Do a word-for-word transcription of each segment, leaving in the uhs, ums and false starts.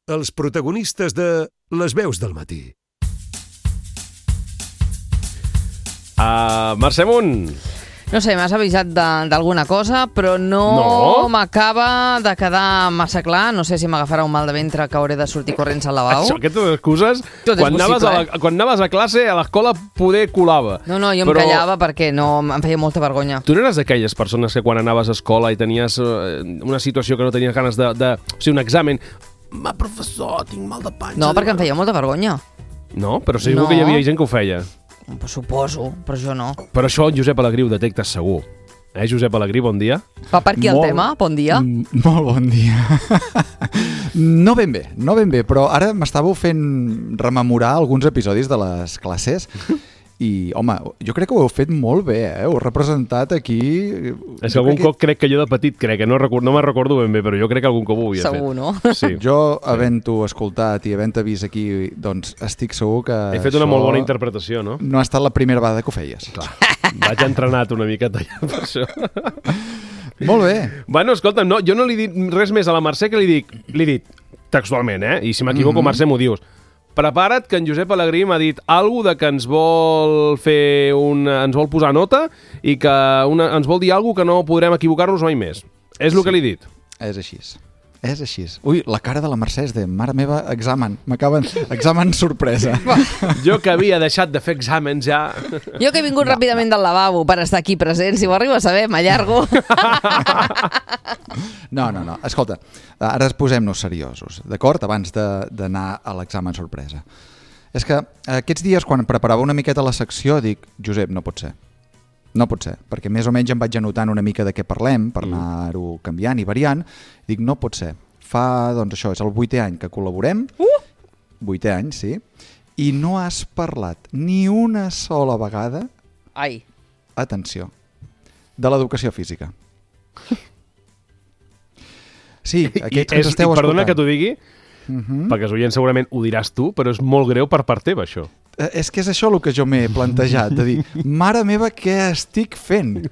els protagonistes de Les veus del matí. Uh, Mercè Munt. No sé, m'has avisat d'alguna cosa, però no, no. m'acaba de quedar massa clar. No sé si m'agafarà un mal de ventre que hauré de sortir corrents al lavabo. Això, aquestes excuses, Tot quan, és anaves possible, a la, quan anaves a classe, a l'escola poder colava. No, no, jo però... em callava perquè no, em feia molta vergonya. Tu no eres d'aquelles persones que quan anaves a escola i tenies uh, una situació que no tenies ganes de... de o sigui, un examen... Ma, professor, tinc mal de panxa. No, perquè em feia molta vergonya. No? Però segur No. que hi havia gent que ho feia. Pues suposo, però jo no. Però això el Josep Alegrí ho detecta segur. Eh, Josep Alegrí, bon dia. Va per aquí el Molt- tema? Bon dia. Mm, Molt bon dia. No ben bé, no ben bé, però ara m'estàveu fent rememorar alguns episodis de les classes i, home, jo crec que ho heu fet molt bé, eh? Heu representat aquí... És que algun cop crec que jo de petit, crec que no, record, no me'n recordo ben bé, però jo crec que algun cop ho havia Segur, fet. no? Sí. Jo, havent-ho escoltat i havent-te vist aquí, doncs estic segur que He fet una això molt bona interpretació, no? no ha estat la primera vegada que ho feies. Clar, vaig entrenat una miqueta allà per això. Molt bé. Bueno, escolta'm, no, jo no li he dit res més a la Mercè que li dic, li he dit textualment, eh? I si m'equivoco, Mhm. Mercè, m'ho dius. Prepara't, que en Josep Alegrí m'ha dit alguna de que ens vol fer un, ens vol posar nota i que una, ens vol dir alguna que no podrem equivocar-nos mai més. És el Sí. que li he dit. És així. És així. Ui, la cara de la Mercè és de mare meva, examen. M'acaben... Examen sorpresa. Jo que havia deixat de fer exàmens ja... Jo que he vingut ràpidament del lavabo per estar aquí present, si ho arribo a saber, m'allargo. No, no, no. Escolta, ara posem-nos seriosos, d'acord? Abans de- d'anar a l'examen sorpresa. És que aquests dies, quan preparava una miqueta la secció, dic, Josep, no pot ser. No pot ser, perquè més o menys em vaig anotant una mica de què parlem, per anar-ho canviant i variant. Dic, no pot ser. Fa, doncs això, és el vuitè any que col·laborem. Uh! Vuitè any, sí. I no has parlat ni una sola vegada, Ai, atenció, de l'educació física. Sí, I, aquests que és, ens esteu i perdona escoltant. que t'ho digui, Uh -huh. perquè els oients segurament ho diràs tu, però és molt greu per part teva, això. Eh, És que és això el que jo m'he plantejat, de dir, mare meva, què estic fent?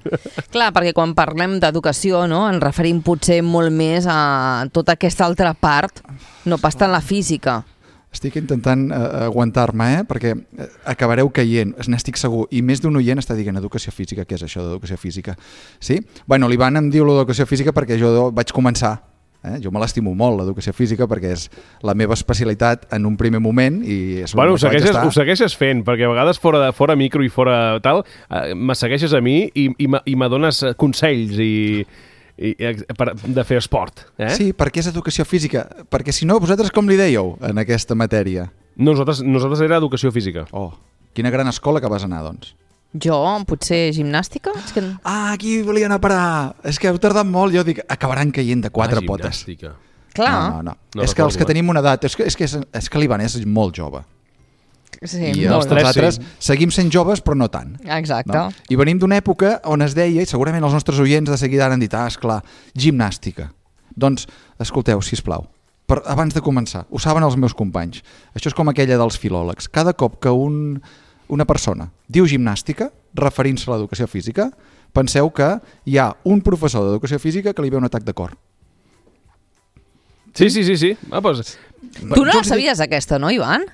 clar, perquè quan parlem d'educació, no, ens referim potser molt més a tota aquesta altra part, no pas tant la física. Estic intentant eh, aguantar-me, eh? perquè eh, acabareu caient, n'estic segur, i més d'un oient està dient educació física, què és això d'educació física? Sí? Bueno, l'Ivan em diu l'educació física perquè jo vaig començar. Eh? Jo me l'estimo molt, l'educació física, perquè és la meva especialitat en un primer moment i és Bueno, ho on vaig segueixes, estar. ho segueixes fent, perquè a vegades fora, de, fora micro i fora tal, eh, me segueixes a mi i, i, me- i me dones eh, consells i, i, i per, de fer esport. Eh? Sí, perquè és educació física, perquè si no, vosaltres com li dèieu en aquesta matèria? Nosaltres, nosaltres era educació física. Oh, quina gran escola que vas anar, doncs. Jo, potser gimnàstica? És que... Ah, aquí volia anar a parar. És que heu tardat molt. Jo dic, acabaran caient de quatre ah, potes. gimnàstica. Clar, No, no, no. No és que recordo, els que eh? tenim una edat... És que, és que, és, és que l'Ivan és molt jove. sí, I molt. els tres, altres sí. seguim sent joves, però no tant. Exacte. No? I venim d'una època on es deia, i segurament els nostres oients de seguida han dit, ah, esclar, gimnàstica. Doncs, escolteu, sisplau, per, abans de començar, ho saben els meus companys, això és com aquella dels filòlegs. Cada cop que un, una persona diu gimnàstica, referint-se a l'educació física, penseu que hi ha un professor d'educació física que li ve un atac de cor. Sí, sí, sí, sí. Ah, pues, Tu no Jo la els dic- sabies, aquesta, no, Ivan?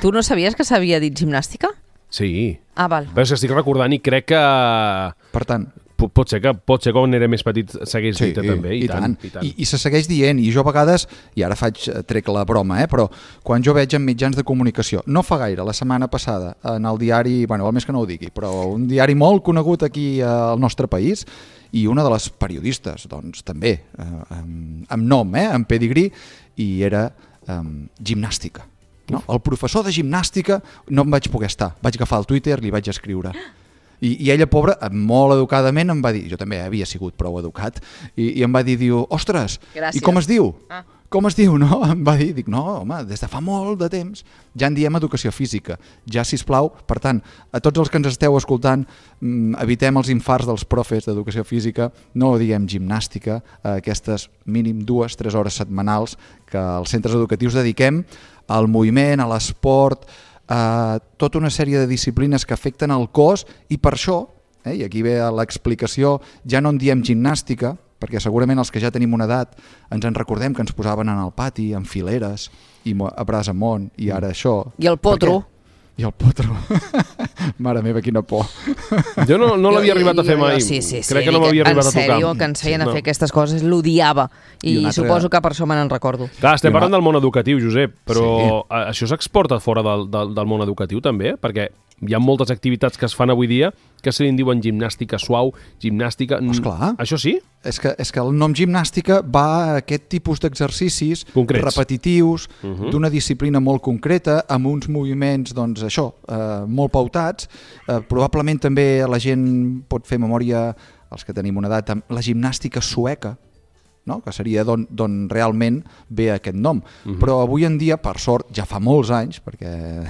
Tu no sabies que s'havia dit gimnàstica? sí. Ah, val. Però és que estic recordant i crec que Per tant, po- pot ser que, pot ser que quan era més petit s'hagués sí, dit també. I, i, tant, tant. i tant. I, i se segueix dient, i jo a vegades, i ara faig, eh, trec la broma, eh, però quan jo veig en mitjans de comunicació, no fa gaire, la setmana passada, en el diari, bueno, val més que no ho digui, però un diari molt conegut aquí al nostre país, i una de les periodistes, doncs també, eh, amb, amb nom, eh, amb pedigrí, i era eh, gimnàstica. No? El professor de gimnàstica no em vaig poder estar, vaig agafar el Twitter, li vaig escriure. I, i ella, pobra, molt educadament em va dir, jo també havia sigut prou educat, i, i em va dir, diu, ostres, Gràcies. i com es diu? Ah. Com es diu, no? Em va dir, dic, no, home, des de fa molt de temps ja en diem educació física, ja, sisplau, per tant, a tots els que ens esteu escoltant, mm, evitem els infarts dels profes d'educació física, no diem gimnàstica, a aquestes mínim dues, tres hores setmanals que als centres educatius dediquem al moviment, a l'esport, a tota una sèrie de disciplines que afecten el cos, i per això, eh, i aquí ve l'explicació, ja no en diem gimnàstica, perquè segurament els que ja tenim una edat ens en recordem que ens posaven en el pati, en fileres, i a braç amunt, i ara això... I el potro. I el potro. Mare meva, quina por. Jo no, no l'havia arribat a fer jo, mai. Sí, sí, sí. Crec que no m'havia arribat a tocar. En sèrio, que ens feien sí, a fer no. aquestes aquestes coses, l'odiava. I, I altra... suposo que per això me n'en recordo. Clar, estem I una... parlant del món educatiu, Josep, però sí. això s'exporta fora del, del, del món educatiu també, perquè hi ha moltes activitats que es fan avui dia que se li en diuen gimnàstica suau, gimnàstica... Esclar. Això sí? És que, és que el nom gimnàstica va a aquest tipus d'exercicis repetitius, uh -huh. d'una disciplina molt concreta, amb uns moviments, doncs això, eh, molt pautats. Eh, probablement també la gent pot fer memòria, els que tenim una edat, amb la gimnàstica sueca, no? Que seria d'on realment ve aquest nom. Uh-huh. Però avui en dia, per sort, ja fa molts anys, perquè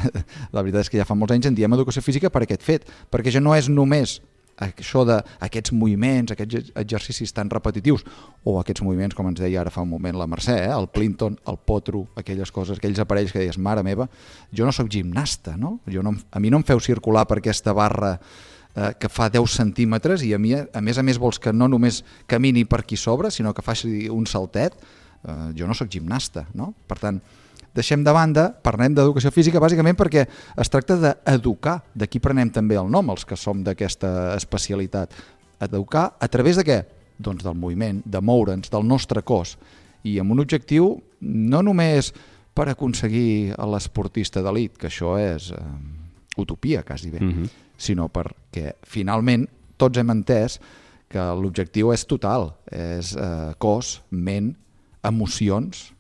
la veritat és que ja fa molts anys en diem educació física per aquest fet, perquè ja no és només això d'aquests moviments, aquests exercicis tan repetitius, o aquests moviments, com ens deia ara fa un moment la Mercè, eh? El Plinton, el potro, aquelles coses, aquells aparells que deies, mare meva, jo no sóc gimnasta, no? Jo no a mi no em feu circular per aquesta barra eh, que fa deu centímetres i a mi, a més a més, vols que no només camini per aquí sobre, sinó que faci un saltet. Eh, jo no sóc gimnasta, no? Per tant, deixem de banda, parlem d'educació física bàsicament perquè es tracta d'educar, d'aquí prenem també el nom, els que som d'aquesta especialitat. Educar a través de què? Doncs del moviment, de moure'ns, del nostre cos, i amb un objectiu no només per aconseguir l'esportista d'elit, que això és eh, utopia, quasi bé, mm-hmm. sinó perquè finalment tots hem entès que l'objectiu és total, és eh, cos, ment, emocions,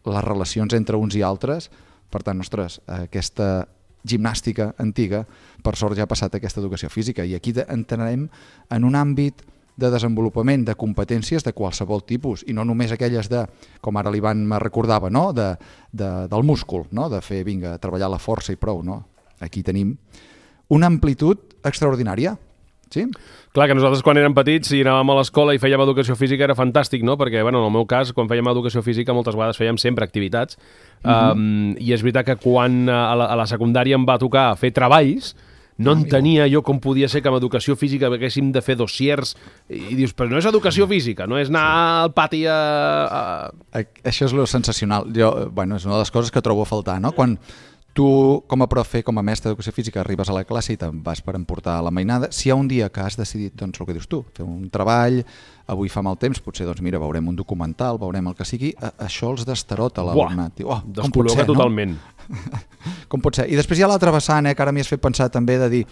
les relacions entre uns i altres. Per tant, ostres, aquesta gimnàstica antiga, per sort ja ha passat aquesta educació física, i aquí entrarem en un àmbit de desenvolupament de competències de qualsevol tipus, i no només aquelles de, com ara l'Ivan me recordava, no? de, de, del múscul, no? De fer, vinga, treballar la força i prou. No? Aquí tenim una amplitud extraordinària. Sí? Clar, que nosaltres quan érem petits, si anàvem a l'escola i fèiem educació física era fantàstic, no? Perquè, bueno, en el meu cas, quan fèiem educació física moltes vegades fèiem sempre activitats, uh-huh. um, i és veritat que quan a la, a la secundària em va tocar fer treballs, no ah, entenia jo com podia ser que amb educació física haguéssim de fer dossiers, i dius, però no és educació física, no és anar sí. al pati a... a... Això és lo sensacional. Jo, bueno, és una de les coses que trobo a faltar, no? Quan tu, com a profe, com a mestre d'educació física, arribes a la classe i te'n vas per emportar la mainada. Si hi ha un dia que has decidit, doncs, el que dius tu, fer un treball, avui fa mal temps, potser, doncs, mira, veurem un documental, veurem el que sigui, això els destarota l'alumnat. Oh, descol·loca totalment. No? Com pot ser? I després hi ha l'altra vessant, eh, que ara m'hi has fet pensar també, de dir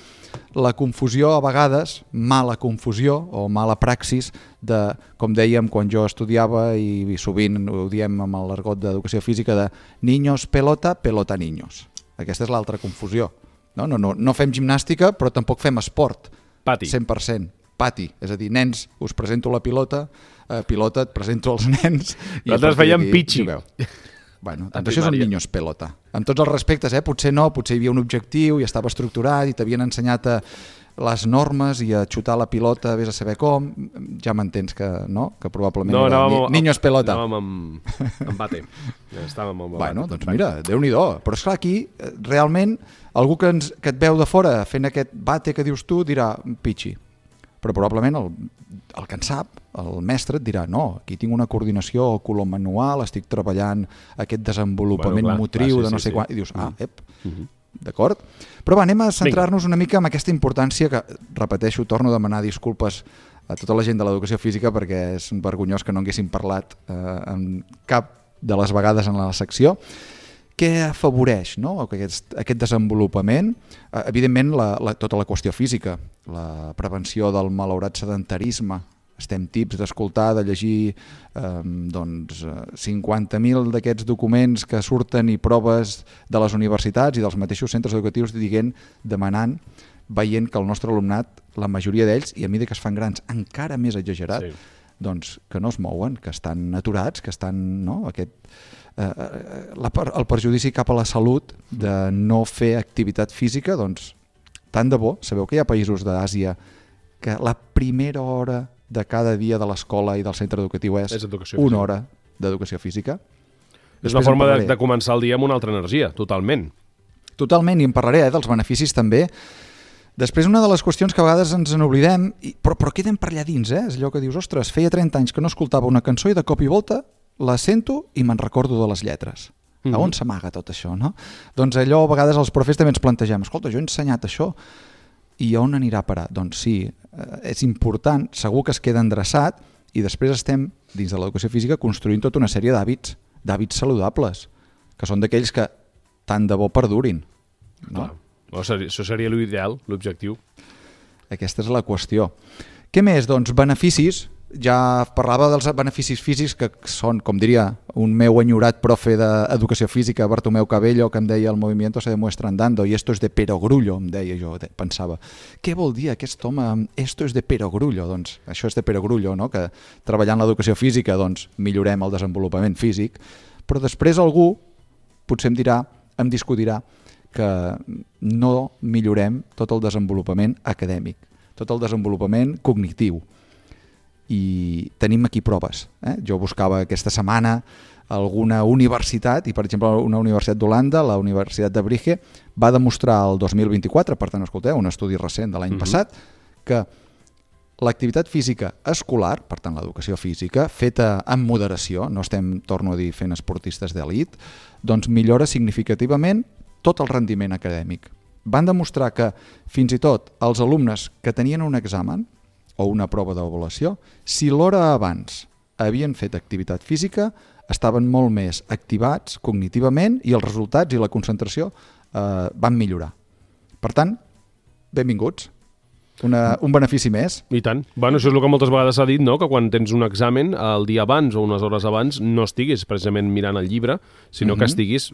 la confusió a vegades, mala confusió o mala praxis, de, com dèiem quan jo estudiava, i, i sovint ho diem amb l'argot d'educació física, de niños pelota, pelota niños. Aquesta és l'altra confusió. No, no, no, no fem gimnàstica, però tampoc fem esport. Pati. cent per cent. Pati. És a dir, nens, us presento la pilota, eh, pilota, et presento els nens... Nosaltres fèiem pitxi. Bueno, doncs això és un niños pelota. Amb tots els respectes, eh? Potser no, potser hi havia un objectiu i estava estructurat i t'havien ensenyat a les normes i a xutar la pilota, vés a saber com. Ja m'entens que no, que probablement no, era anàvem, ni, niños pelota. Anàvem amb, amb bate. Estàvem amb bueno, doncs mira, Déu-n'hi-do. Però esclar, aquí realment algú que, ens, que et veu de fora fent aquest bate que dius tu dirà pitxi. Però probablement el, el que en sap, el mestre et dirà no, aquí tinc una coordinació color-manual, estic treballant aquest desenvolupament bueno, clar, motriu clar, sí, de no sí, sé sí. quan, i dius, ah, ep, uh-huh. d'acord? Però va, anem a centrar-nos una mica en aquesta importància que, repeteixo, torno a demanar disculpes a tota la gent de l'educació física perquè és un vergonyós que no haguéssim parlat eh, en cap de les vegades en la secció. Què afavoreix, no? aquest, aquest desenvolupament? Eh, evidentment, la, la, tota la qüestió física, la prevenció del malaurat sedentarisme. Estem tips d'escoltar, de llegir eh, doncs, cinquanta mil d'aquests documents que surten i proves de les universitats i dels mateixos centres educatius dient, demanant, veient que el nostre alumnat, la majoria d'ells, i a mesura que es fan grans, encara més exagerat, sí. doncs que no es mouen, que estan aturats, que estan... No? Aquest, eh, la, el perjudici cap a la salut de no fer activitat física, doncs tant de bo. Sabeu que hi ha països d'Àsia que la primera hora de cada dia de l'escola i del centre educatiu és, és una hora d'educació física. És Després una forma de, de començar el dia amb una altra energia, totalment. Totalment, i en parlaré eh, dels beneficis també Després, una de les qüestions que a vegades ens n'oblidem, i- però, però queden per allà dins, eh? És allò que dius, ostres, feia trenta anys que no escoltava una cançó i de cop i volta la sento i me'n recordo de les lletres. Mhm. A on s'amaga tot això, no? Doncs allò, a vegades els profes també ens plantegem, escolta, jo he ensenyat això i on anirà a parar? Doncs sí, eh, és important, segur que es queda endreçat i després estem, dins de l'educació física, construint tota una sèrie d'hàbits, d'hàbits saludables, que són d'aquells que tant de bo perdurin. No? Clar. No, seria- això seria l'ideal, l'objectiu. Aquesta és la qüestió. Què més? Doncs beneficis. Ja parlava dels beneficis físics que són, com diria un meu enyorat profe d'educació física, Bartomeu Cabello, que em deia el movimiento se demuestra andando i esto es de perogrullo, em deia jo, pensava, què vol dir aquest home, esto es de perogrullo? Doncs això és de perogrullo, no? Que treballant l'educació física doncs, millorem el desenvolupament físic, però després algú potser em dirà, em discutirà que no millorem tot el desenvolupament acadèmic, tot el desenvolupament cognitiu. I tenim aquí proves. Eh? Jo buscava aquesta setmana alguna universitat, i per exemple una universitat d'Holanda, la Universitat de Brugge, va demostrar el dos mil vint-i-quatre, per tant, escolteu, un estudi recent de l'any Mhm. passat, que l'activitat física escolar, per tant l'educació física, feta amb moderació, no estem, torno a dir, fent esportistes d'elit, doncs millora significativament tot el rendiment acadèmic. Van demostrar que fins i tot els alumnes que tenien un examen o una prova d'avaluació, si l'hora abans havien fet activitat física, estaven molt més activats cognitivament i els resultats i la concentració eh, van millorar. Per tant, benvinguts. Una, un benefici més. I tant. Bueno, això és el que moltes vegades s'ha dit, no? Que quan tens un examen, el dia abans o unes hores abans, no estiguis precisament mirant el llibre, sinó Mhm. que estiguis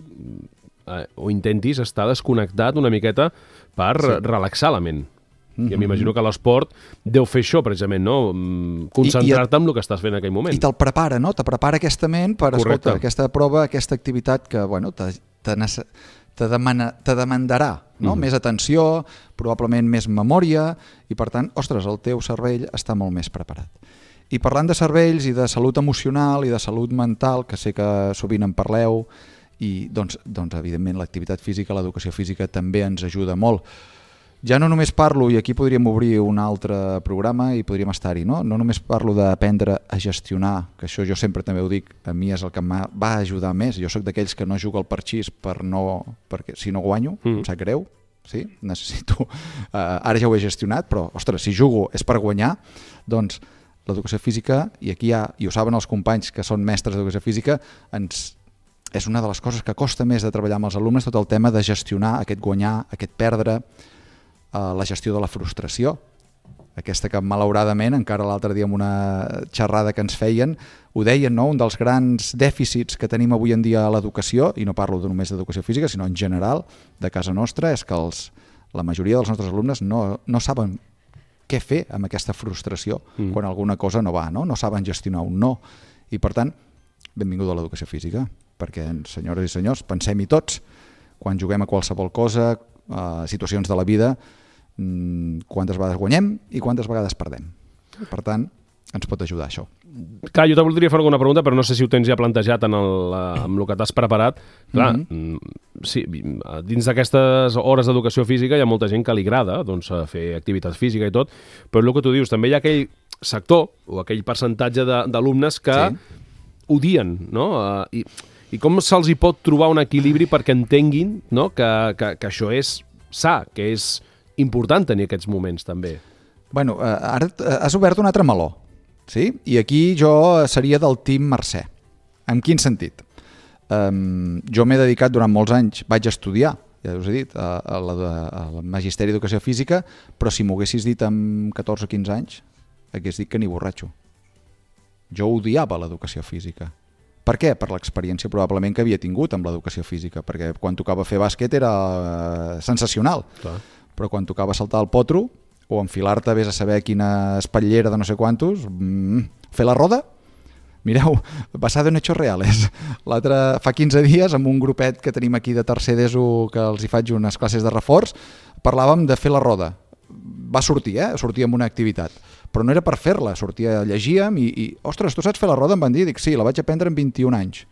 eh, o intentis estar desconnectat una miqueta per Sí. relaxar la ment. Mhm. I m'imagino que l'esport deu fer això, precisament, no? Mm, Concentrar-te en el que estàs fent en aquell moment. I te'l prepara, no? Te prepara aquesta ment per, Correcte. escolta, aquesta prova, aquesta activitat que, bueno, te, te, nece- te, demana, te demandarà, no? Mhm. Més atenció, probablement més memòria, i per tant, ostres, el teu cervell està molt més preparat. I parlant de cervells i de salut emocional i de salut mental, que sé que sovint en parleu, i doncs, doncs evidentment l'activitat física, l'educació física també ens ajuda molt. Ja no només parlo, i aquí podríem obrir un altre programa i podríem estar-hi, no? No només parlo d'aprendre a gestionar, que això jo sempre també ho dic, a mi és el que em va ajudar més. Jo sóc d'aquells que no jugo al parxís per no, perquè si no guanyo, Mm. em sap greu, sí? Necessito... Uh, ara ja ho he gestionat, però, ostres, si jugo és per guanyar, doncs l'educació física, i aquí hi ha, i ho saben els companys que són mestres d'educació física, ens, és una de les coses que costa més de treballar amb els alumnes, tot el tema de gestionar aquest guanyar, aquest perdre, Uh, la gestió de la frustració, aquesta que malauradament encara l'altre dia en una xerrada que ens feien ho deien, no? Un dels grans dèficits que tenim avui en dia a l'educació, i no parlo només d'educació física sinó en general de casa nostra, és que els, la majoria dels nostres alumnes no, no saben què fer amb aquesta frustració Mm. quan alguna cosa no va, no? No saben gestionar un no, i per tant benvinguda a l'educació física, perquè senyores i senyors, pensem-hi tots, quan juguem a qualsevol cosa, a situacions de la vida, quantes vegades guanyem i quantes vegades perdem. Per tant, ens pot ajudar això. Clar, jo te voldria fer alguna pregunta, però no sé si ho tens ja plantejat en el, eh, amb el que t'has preparat. Clar, Mhm. mm, sí, dins d'aquestes hores d'educació física hi ha molta gent que li agrada doncs, eh, fer activitat física i tot, però el que tu dius, també hi ha aquell sector o aquell percentatge de- d'alumnes que Sí. odien, no? Eh, I, I com se'ls hi pot trobar un equilibri perquè entenguin, no? que, que, que això és sa, que és important tenir aquests moments també. Bueno, eh, ara t- has obert un altre meló, sí? I aquí jo seria del team Mercè. En quin sentit? Um, jo m'he dedicat durant molts anys, vaig estudiar, ja us he dit, a, a la, al Magisteri d'Educació Física, però si m'ho haguessis dit amb catorze o quinze anys, hagués dit que ni borratxo. Jo odiava l'educació física. Per què? Per l'experiència probablement que havia tingut amb l'educació física, perquè quan tocava fer bàsquet era eh, sensacional, Clar. però quan tocava saltar el potro o enfilar-te, vés a saber quina espatllera de no sé quantos, mm, fer la roda, mireu, basada en hechos reales. L'altre, fa quinze dies, amb un grupet que tenim aquí de tercer d'ESO, que els hi faig unes classes de reforç, parlàvem de fer la roda. Va sortir, eh? Sortia amb una activitat. Però no era per fer-la, sortia, llegíem i, i, ostres, tu saps fer la roda? Em van dir, dic, sí, la vaig aprendre en vint-i-un anys.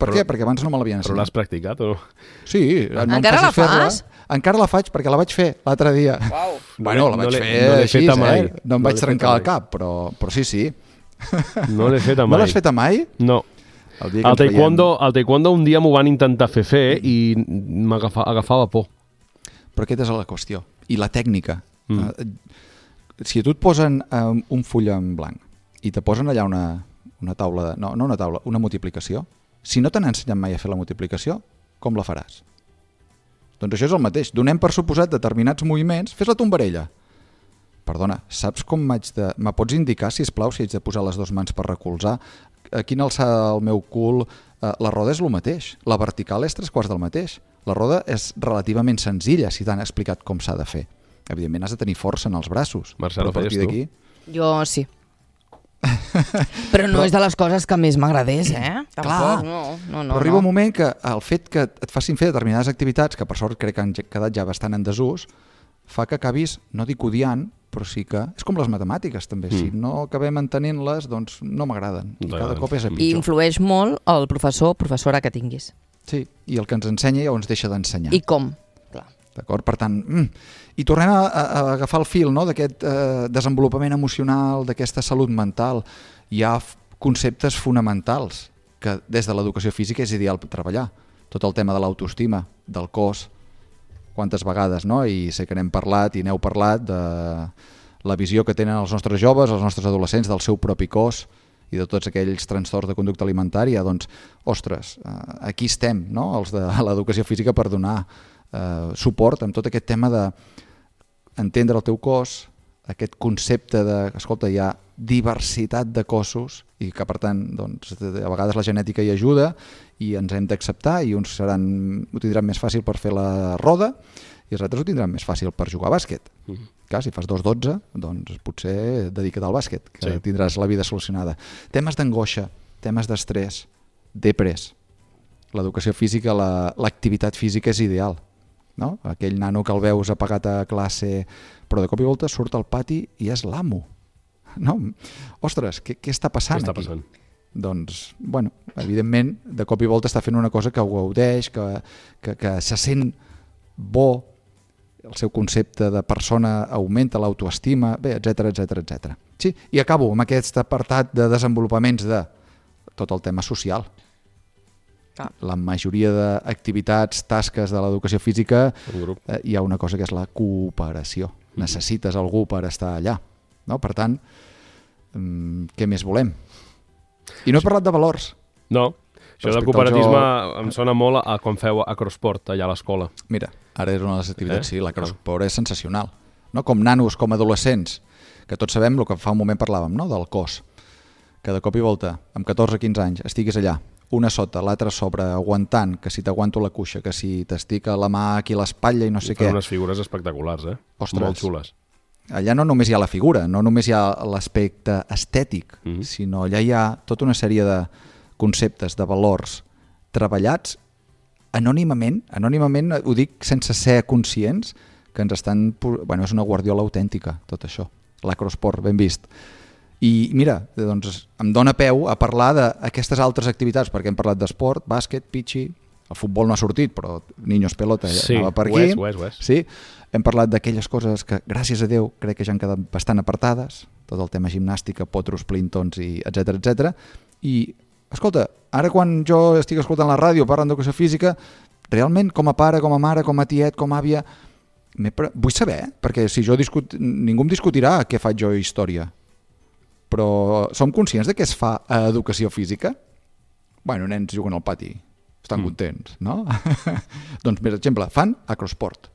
Per Però- què? Perquè abans no me l'havien Però l'has ensenyat. practicat o no? Sí, no em Encara facis la fer-la. fas? Encara la faig, perquè la vaig fer l'altre dia. Uau. Bueno, la No vaig l'he- fer no l'he així, feta mai. eh? No em No vaig l'he trencar feta el cap, però, però sí, sí. No l'he fet mai. No l'has feta mai? No. El dia que Al ens veiem- taekwondo, al taekwondo un dia m'ho van intentar fer fer i m'agafava agafava por. Però aquesta és la qüestió. I la tècnica. Mm. Uh, si a tu et posen um, un full en blanc i te posen allà una, una taula, de, no, no una taula, una multiplicació, si no t'han ensenyat mai a fer la multiplicació, com la faràs? Doncs això és el mateix. Donem per suposat determinats moviments, fes la tombarella. Perdona, saps com m'haig de... Me pots indicar, si plau, si haig de posar les dues mans per recolzar? A quina alçada del meu cul? Eh, la roda és el mateix. La vertical és tres quarts del mateix. La roda és relativament senzilla, si t'han explicat com s'ha de fer. Evidentment has de tenir força en els braços. Marcelo, però a partir feies tu? d'aquí... Jo sí. Però no Però- és de les coses que més m'agradés, eh? Tampoc, Clar, no, no, no. però arriba no. un moment que el fet que et facin fer determinades activitats, que per sort crec que han quedat ja bastant en desús, fa que acabis, no dic odiant, però sí que... És com les matemàtiques, també. Mm. Si no acabem entenent-les, doncs no m'agraden. I cada cop és a I pitjor. influeix molt el professor o professora que tinguis. Sí, i el que ens ensenya ja ens deixa d'ensenyar. I com. Clar. D'acord? Per tant, mm, i tornem a, a, a agafar el fil, no?, d'aquest eh, desenvolupament emocional, d'aquesta salut mental. Hi ha f- conceptes fonamentals que des de l'educació física és ideal treballar. Tot el tema de l'autoestima, del cos, quantes vegades, no? I sé que n'hem parlat i n'heu parlat de la visió que tenen els nostres joves, els nostres adolescents del seu propi cos i de tots aquells trastorns de conducta alimentària. Doncs, ostres, eh, aquí estem, no?, els de l'educació física per donar eh, suport amb tot aquest tema de entendre el teu cos, aquest concepte de, escolta, hi ha diversitat de cossos i que per tant doncs, a vegades la genètica hi ajuda i ens hem d'acceptar i uns seran, ho tindran més fàcil per fer la roda i els altres ho tindran més fàcil per jugar a bàsquet. Mm. Clar, si fas dos dotze, doncs potser dedica't al bàsquet, que sí. Tindràs la vida solucionada. Temes d'angoixa, temes d'estrès, depres. L'educació física, la, l'activitat física és ideal. No? Aquell nano que el veus apagat a classe, però de cop i volta surt al pati i és l'amo. No? Ostres, què, què està passant Què està aquí? passant? Doncs, bueno, evidentment, de cop i volta està fent una cosa que ho gaudeix, que, que, que se sent bo, el seu concepte de persona augmenta, l'autoestima, bé, etcètera, etcètera, etcètera. Sí, i acabo amb aquest apartat de desenvolupaments de tot el tema social. Clar. La majoria d'activitats, tasques de l'educació física, Un grup. eh, hi ha una cosa que és la cooperació. Mm-hmm. Necessites algú per estar allà. No? Per tant, mm, què més volem? I no he parlat de valors. No, això del Respecte al cooperatisme joc- em sona molt a quan feu acrosport allà a l'escola. Mira, ara és una de les activitats, Eh? sí, la crossport és sensacional. No? Com nanos, com adolescents, que tots sabem el que fa un moment parlàvem, no? Del cos. Que de cop i volta, amb catorze quinze anys, estiguis allà, una sota, l'altra sobre, aguantant, que si t'aguanto la cuixa, que si t'estica la mà aquí a l'espatlla i no sé Fan què. unes figures espectaculars, eh? Ostres. Molt xules. Allà no només hi ha la figura, no només hi ha l'aspecte estètic, Mhm. sinó allà hi ha tota una sèrie de conceptes, de valors treballats anònimament, anònimament ho dic sense ser conscients, que ens estan... pu- Bueno, és una guardiola autèntica, tot això. L'acrosport, ben vist. I mira, doncs em dóna peu a parlar d'aquestes altres activitats, perquè hem parlat d'esport, bàsquet, pitxi, el futbol no ha sortit, però niños pelota ja Sí, anava per ho aquí. és, ho és, ho és. Sí, hem parlat d'aquelles coses que, gràcies a Déu, crec que ja han quedat bastant apartades, tot el tema gimnàstica, potros, plintons, i etcètera, etcètera. I, escolta, ara quan jo estic escoltant la ràdio, parlant d'educació física, realment, com a pare, com a mare, com a tiet, com a àvia, m'he pre... vull saber, perquè si jo discut... ningú em discutirà què faig jo a història. Però som conscients de què es fa a educació física? Bueno, nens juguen al pati, estan mm. contents, no? Doncs, per exemple, fan acrosport.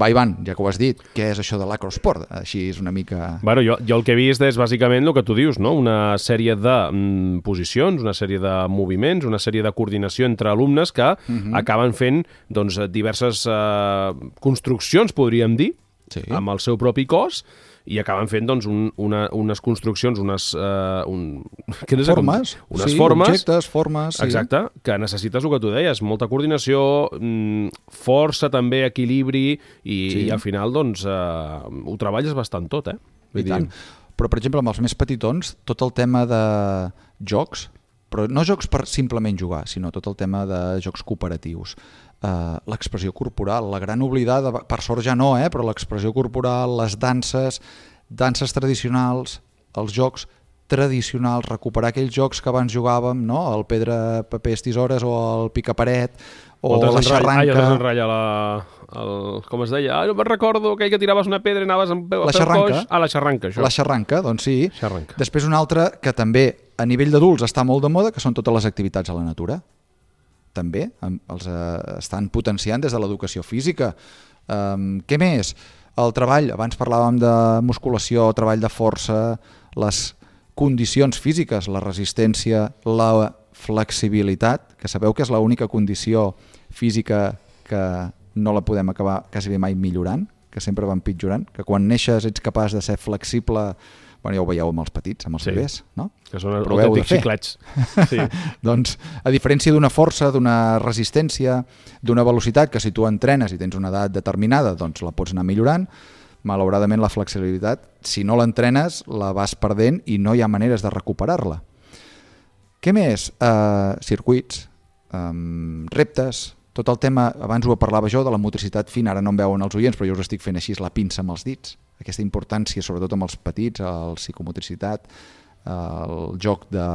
Va, Ivan, ja que ho has dit, què és això de l'acrosport? Així és una mica... Bueno, jo, jo el que he vist és bàsicament el que tu dius, no? Una sèrie de mm, posicions, una sèrie de moviments, una sèrie de coordinació entre alumnes que Mhm. acaben fent doncs, diverses eh, construccions, podríem dir, Sí. amb el seu propi cos, i acaben fent doncs, un, una, unes construccions, unes... Uh, un, què no sé com- Formes, unes sí, formes, objectes, formes... Sí. exacte, que necessites el que tu deies, molta coordinació, mm, força també, equilibri, i, Sí. i al final doncs, uh, ho treballes bastant tot, eh? I tant. Però, per exemple, amb els més petitons, tot el tema de jocs, però no jocs per simplement jugar, sinó tot el tema de jocs cooperatius. Uh, l'expressió corporal, la gran oblidada, per sort ja no, eh? Però l'expressió corporal, les danses, danses tradicionals, els jocs tradicionals, recuperar aquells jocs que abans jugàvem, no? El pedra, papers, tisores o el picaparet o, o la xarranca. Ai, el desenrotlla la... El, com es deia? Ah, no me'n recordo aquell que tiraves una pedra i anaves a peu, la xarranca. Ah, la xarranca, això. La xarranca, doncs sí. Xarranca. Després una altra que també a nivell d'adults està molt de moda, que són totes les activitats a la natura. També els eh, estan potenciant des de l'educació física. Um, què més? El treball, abans parlàvem de musculació, treball de força, les condicions físiques, la resistència, la flexibilitat, que sabeu que és l'única condició física que no la podem acabar quasi bé mai millorant, que sempre va empitjorant, que quan neixes ets capaç de ser flexible. Bueno, ja ho veieu amb els petits, amb els sí. bebès, no? Que són autèntics xiclets. Sí. Doncs, a diferència d'una força, d'una resistència, d'una velocitat, que si tu entrenes i tens una edat determinada, doncs la pots anar millorant, malauradament la flexibilitat, si no l'entrenes, la vas perdent i no hi ha maneres de recuperar-la. Què més? Uh, circuits, um, reptes, tot el tema, abans ho parlava jo, de la motricitat fina, ara no em veuen els oients, però jo us estic fent així la pinça amb els dits, aquesta importància, sobretot amb els petits, la psicomotricitat, el joc de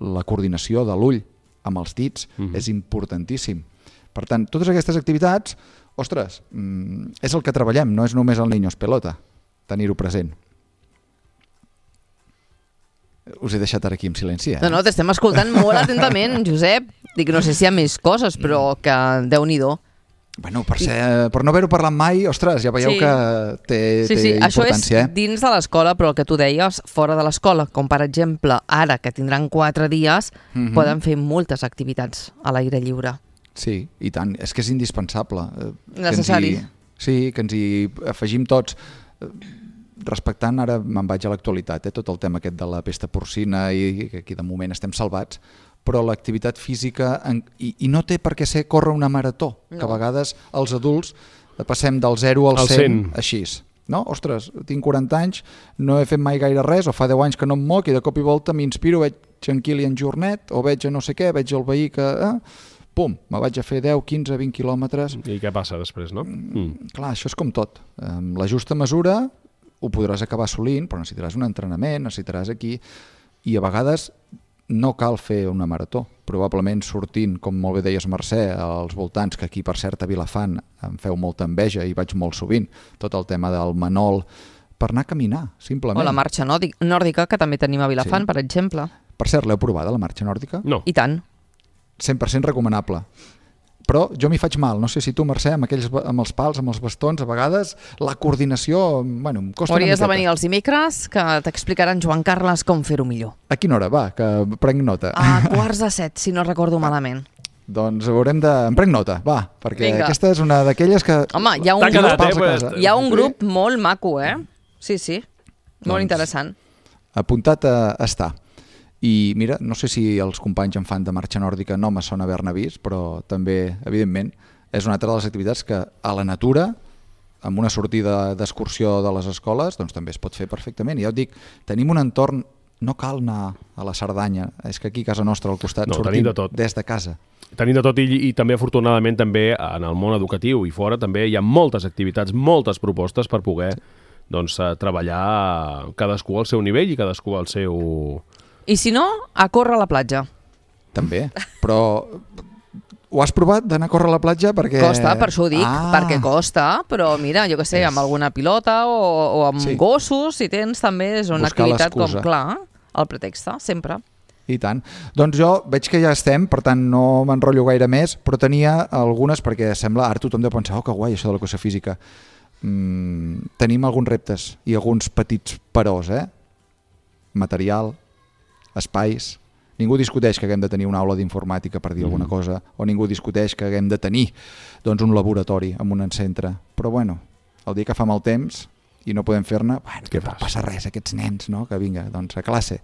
la coordinació de l'ull amb els dits, mm-hmm. és importantíssim. Per tant, totes aquestes activitats, ostres, és el que treballem, no és només el niños pelota, tenir-ho present. Us he deixat ara aquí en silenci, eh? No, no, t'estem escoltant molt atentament, Josep. Dic, no sé si hi ha més coses, però que Déu-n'hi-do. Bueno, per, ser, per no haver-ho parlat mai, ostres, ja veieu sí. que té, sí, sí. té Això importància. Això és dins de l'escola, però el que tu deies, fora de l'escola, com per exemple, ara que tindran quatre dies, mm-hmm. poden fer moltes activitats a l'aire lliure. Sí, i tant, és que és indispensable. Necessari. Que ens hi, sí, que ens hi afegim tots. Respectant, ara me'n vaig a l'actualitat, eh, tot el tema aquest de la pesta porcina i que aquí de moment estem salvats, però l'activitat física, en, i, i no té per què ser córrer una marató, no. Que a vegades els adults passem del zero al cent, així. No? Ostres, tinc quaranta anys, no he fet mai gaire res, o fa deu anys que no em moc i de cop i volta m'inspiro, veig en Kilian Jornet, o veig a no sé què, veig el veí que... Eh, pum, me vaig a fer deu, quinze, vint quilòmetres. I què passa després, no? Mm. Clar, això és com tot. Amb la justa mesura ho podràs acabar assolint, però necessitaràs un entrenament, necessitaràs aquí, i a vegades no cal fer una marató. Probablement sortint, com molt bé deies Mercè, als voltants, que aquí per cert a Vilafant em feu molta enveja i vaig molt sovint, tot el tema del Manol, per anar a caminar, simplement. O la marxa nòrdica, que també tenim a Vilafant, sí. Per exemple. Per cert, l'heu provada, la marxa nòrdica? No. I tant. cent per cent recomanable. Però jo m'hi faig mal, no sé si tu, Mercè, amb, aquells, amb els pals, amb els bastons, a vegades la coordinació, bueno, em costa Hauries una miqueta. de venir els dimecres, que t'explicaran Joan Carles com fer-ho millor. A quina hora? Va, que prenc nota. A quarts de set, si no recordo malament. Doncs haurem de... Em prenc nota, va, perquè Vinga. Aquesta és una d'aquelles que... Home, hi ha un, quedat, grup, eh, casa. Hi ha un grup molt maco, eh? Sí, sí, molt doncs, interessant. Apuntat a estar. I mira, no sé si els companys en fan de marxa nòrdica no me sona haver-ne vist, però també, evidentment, és una altra de les activitats que a la natura, amb una sortida d'excursió de les escoles, doncs també es pot fer perfectament. I ja et dic, tenim un entorn, no cal anar a la Cerdanya, és que aquí a casa nostra al costat no, sortim de tot. Des de casa. Tenim de tot i, i també afortunadament també en el món educatiu i fora també hi ha moltes activitats, moltes propostes per poder doncs, treballar cadascú al seu nivell i cadascú al seu... I si no, a córrer a la platja. També, però ho has provat d'anar a córrer a la platja? Perquè... Costa, per això ho dic, ah. perquè costa, però mira, jo què sé, és... amb alguna pilota o, o amb sí. gossos, si tens també, és una buscar activitat com, l'excusa. clar, el pretext, sempre. I tant. Doncs jo veig que ja estem, per tant no m'enrotllo gaire més, però tenia algunes, perquè sembla, ara tothom deu pensar, oh, que guai, això de l'educació física. Mm, tenim alguns reptes i alguns petits peròs, eh? Material, espais. Ningú discuteix que haguem de tenir una aula d'informàtica per dir mm. alguna cosa, o ningú discuteix que haguem de tenir doncs, un laboratori en un centre. Però bueno, el dia que fa mal temps i no podem fer-ne, bueno, que no passa res, aquests nens, no? Que vinga, doncs a classe.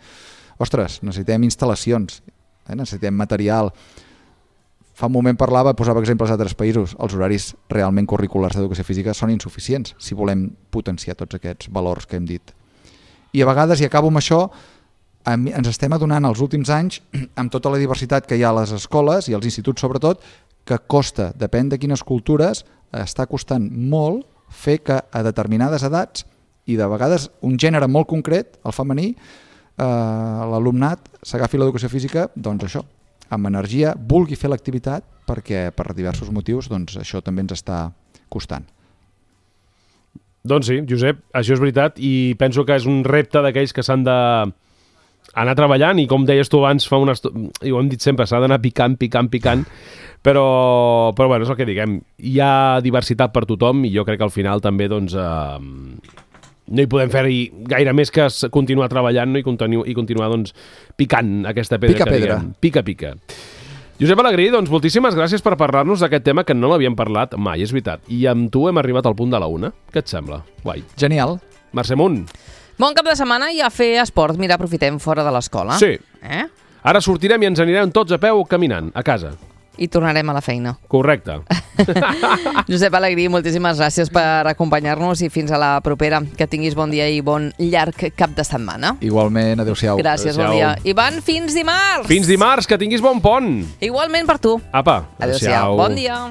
Ostres, necessitem instal·lacions, eh? Necessitem material. Fa un moment parlava, posava exemples d'altres països, els horaris realment curriculars d'educació física són insuficients si volem potenciar tots aquests valors que hem dit. I a vegades, i acabo amb això, ens estem adonant els últims anys, amb tota la diversitat que hi ha a les escoles i als instituts sobretot, que costa, depèn de quines cultures, està costant molt fer que a determinades edats i de vegades un gènere molt concret, el femení, eh, l'alumnat s'agafi l'educació física, doncs això, amb energia, vulgui fer l'activitat perquè per diversos motius doncs això també ens està costant. Doncs sí, Josep, això és veritat i penso que és un repte d'aquells que s'han de anar treballant i com deies tu abans fa una estona, i ho hem dit sempre, s'ha d'anar picant, picant, picant, però, però bueno, és el que diguem, hi ha diversitat per tothom i jo crec que al final també doncs, eh, no hi podem fer-hi gaire més que continuar treballant, no? I, continu, i continuar doncs, picant aquesta pedra. Pica que pedra. Diguem. Pica, pica. Josep Alegrí, doncs moltíssimes gràcies per parlar-nos d'aquest tema que no l'havíem parlat mai, és veritat. I amb tu hem arribat al punt de la una. Què et sembla? Guai. Genial. Mercè Munt. Bon cap de setmana i a fer esport. Mira, aprofitem fora de l'escola. Sí. Eh? Ara sortirem i ens anirem tots a peu caminant, a casa. I tornarem a la feina. Correcte. Josep Alegrí, moltíssimes gràcies per acompanyar-nos i fins a la propera. Que tinguis bon dia i bon llarg cap de setmana. Igualment, adéu-siau. Gràcies, Adéu-siau. bon dia. Ivan, fins dimarts! Fins dimarts, que tinguis bon pont. Igualment per tu. Apa, Adéu-siau. Bon dia.